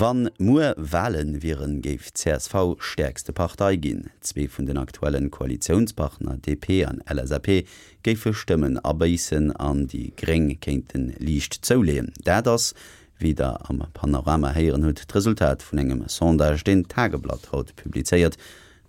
Wann muer Walen wieren, géif csv stäerkste Partei ginn. Zwee vun den aktuellen Koalitiounspartner, DP an LSAP, géife Stëmmen abéissen an déi Gréng kéinte liicht zouleeën. Dat ass, wéi der am Panorama héieren hutt, d'Resultat vun engem Sondage, deen d'Tageblatt haut publizéiert.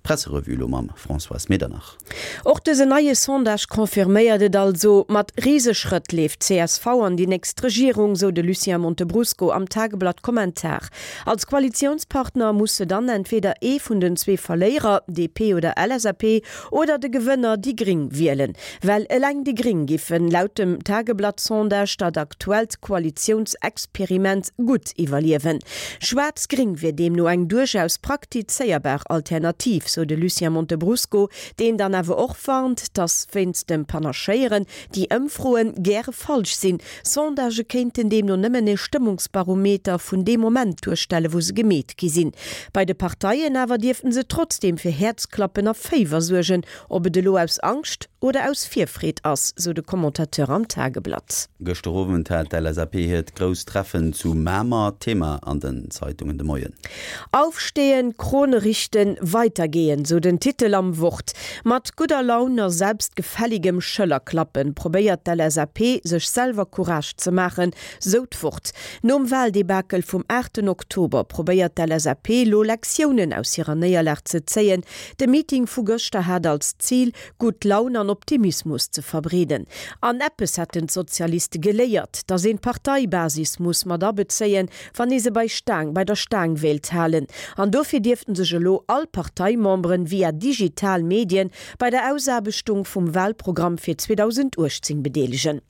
D'Presserevue elo mam Françoise Medernach. Och dësen neie Sondage confirméiert et also, Mat Riseschrëtt leeft csv an déi nächst Regierung, sou de Lucien Montebrusco am Tageblatt Kommentar. Als Koalitiounspartner muss se dann entweder ee vun den zwee Verléierer, DP oder LSAP, oder de Gewënner, déi Gring, wielen. Well eleng déi Gring giffen laut dem Tageblatt-Sondage dat aktuellt Koalitiounsexperiment gutt iwwerliewen. Schwaarz-Gring wier deemno eng duerchaus praktizéierbar Alternativ, sou de Lucien Montebrusco, deen dann awer och warnt, datt wéinst dem Panachéieren déi Ëmfroen gäre falsch sinn. Sondagë kéinten deemno nëmmen e Stëmmungsbarometer vun deem Moment duerstellen, wou se gemeet gi sinn. Bei de Parteien awer dierften se trotzdeem fir Häerzklappen a Féiwer suergen, Ob et elo aus Angscht oder aus Virfreed ass, sou de Commentateur am Tageblatt. Gëschter Owend hat d'LSAP hiert grousst Treffen zu Mamer. Thema an den Zeitungen de Moien. Aufstehen, Krone richten, weitergehen, sou den Titel am Wort. Mat gudder Laun a selbstgefälligem Schëllerklappen probéiert d'LSAP sech selwer Courage ze maachen, sou d'Wort. Nom Wahldebakel vum 8 Oktober probéiert d'LSAP lo Lektiounen aus hirer Néierlag ze zéien, De Meeting vu gëschter hat als Zil, gutt Laun an Optimismus ze verbreeden. An eppes hätten d'Sozialiste geléiert, datt een d'Parteibasis muss mat abezéien, wann ee se bei Staang, bei der Staang wéilt halen. An dofir dierften sech elo all Parteimemberen via digital Medien bei der Ausaarbechtung vum Wahlprogramm fir 2018 bedeelegen.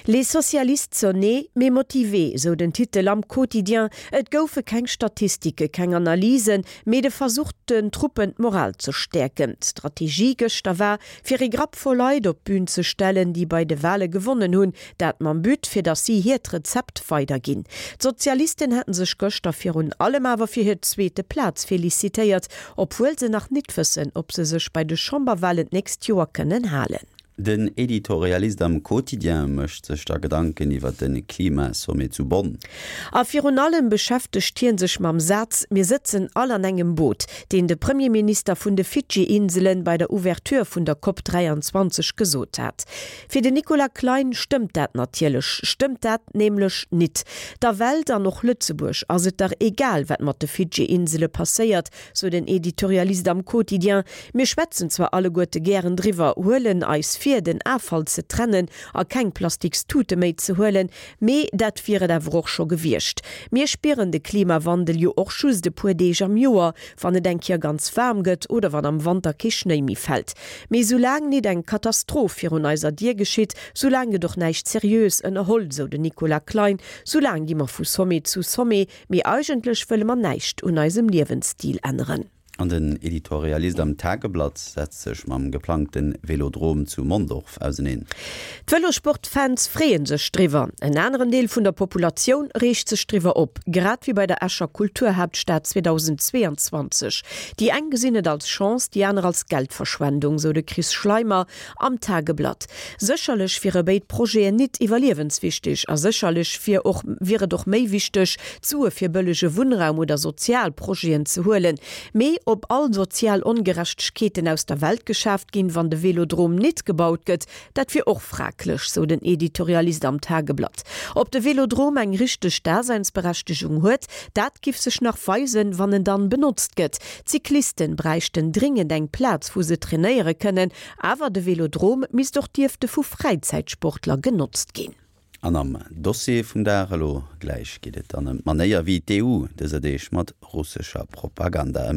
Les socialistes sonnés, mais motivés, sou den Titel am Quotidien. Et goufe keng Statistike, keng Analysen, mee de Versuch den Truppen d'Moral ze stäerken. D'Strategie gëschter war, fir ee Grapp voll Leit op d'Bün ze stellen, déi bei de Wale gewonnen hunn. Dat mam But, fir datt si hiert Rezept weiderginn. D'Sozialisten hätten sech gëschter virun allem awer fir hir zweete Plaz felicitéiert, obwuel se nach nit wëssen, ob se sech bei de Chamberwalen d'nächst Joer kënnen halen. Den Editorialist am Quotidien mécht sech da Gedanken iwwer de Klimasommet zu Bonn. A virun allem beschäftegt hie sech mam Saz Mir sëtzen all an engem Boot, deen de Premierminister vun de Fidschi-Inselen bei der Ouverture vun der Cop 23 gesot hat. Fir den Nicolas Klein stëmmt dat natierlech stëmmt dat nämlech nit. Der Welt, an och Lëtzebuerg, ass et dach egal, wat mat de Fidschi-Insele passéiert, sou den Editorialist am Quotidien. Mir schwätzen zwar alleguerte gären driwwer, huelen eis vir, den Affall ze trennen a keng plastiks Tute méi ze huelen, mee dat wier et awer och scho gewiescht. Mir spieren de Klimawandel jo och just e puer Deeg am Joer, wann et eng Kéier ganz waarm gëtt oder wann am Wanter kee Schnéi méi fält. Mee soulaang nit eng Katastroph virun eiser Dier geschitt, soulaang gëtt och näischt seriös ënnerholl, sou den Nicolas Klein. Soulaang gi mer vu Sommet zu Sommet, Mee eigentlech wëlle mer näischt un eisem Liewensstil änneren. An den Editorialist am Tageblatt setzt sech mam geplangte Velodrom zu Mondorf auseneen. D'Vëlosport-Fans freeë sech driwwer, en aneren Deel vun der Populatioun reegt sech driwwer op, grad wéi bei der Escher Kulturhaaptstad 2022. Déi eng gesinn et als Chance, déi aner als Geldverschwendung, sou de Chris Schleimer Am Tageblatt. Sécherlech wiere béid Projeten nit iwwerliewenswichtig a sécherlech wier och wier et och méi wichteg, d'Sue fir bëllege Wunnraum oder sozial Projeten ze huelen. Mee ob all sozial Ongerechtegkeeten aus der Welt geschaaft ginn, wann de Velodrom nit gebaut gëtt, dat wier och fraglech, sou den Editorialist am Tageblatt. Ob de Velodrom eng richteg Daseinsberechtegung huet, dat giff sech nach weisen, wann en dann benotzt gëtt. D'Cyclisten bräichten dringend eng Plaz wou se trainéiere kënnen, awer de Velodrom misst och dierfte vu Fräizäitsportler genotzt ginn. An am Dossier vum Dag elo gläich geet et dann ëm d'Manéier wéi d'EU dëser Deeg mat russescher Propaganda ëmgeet.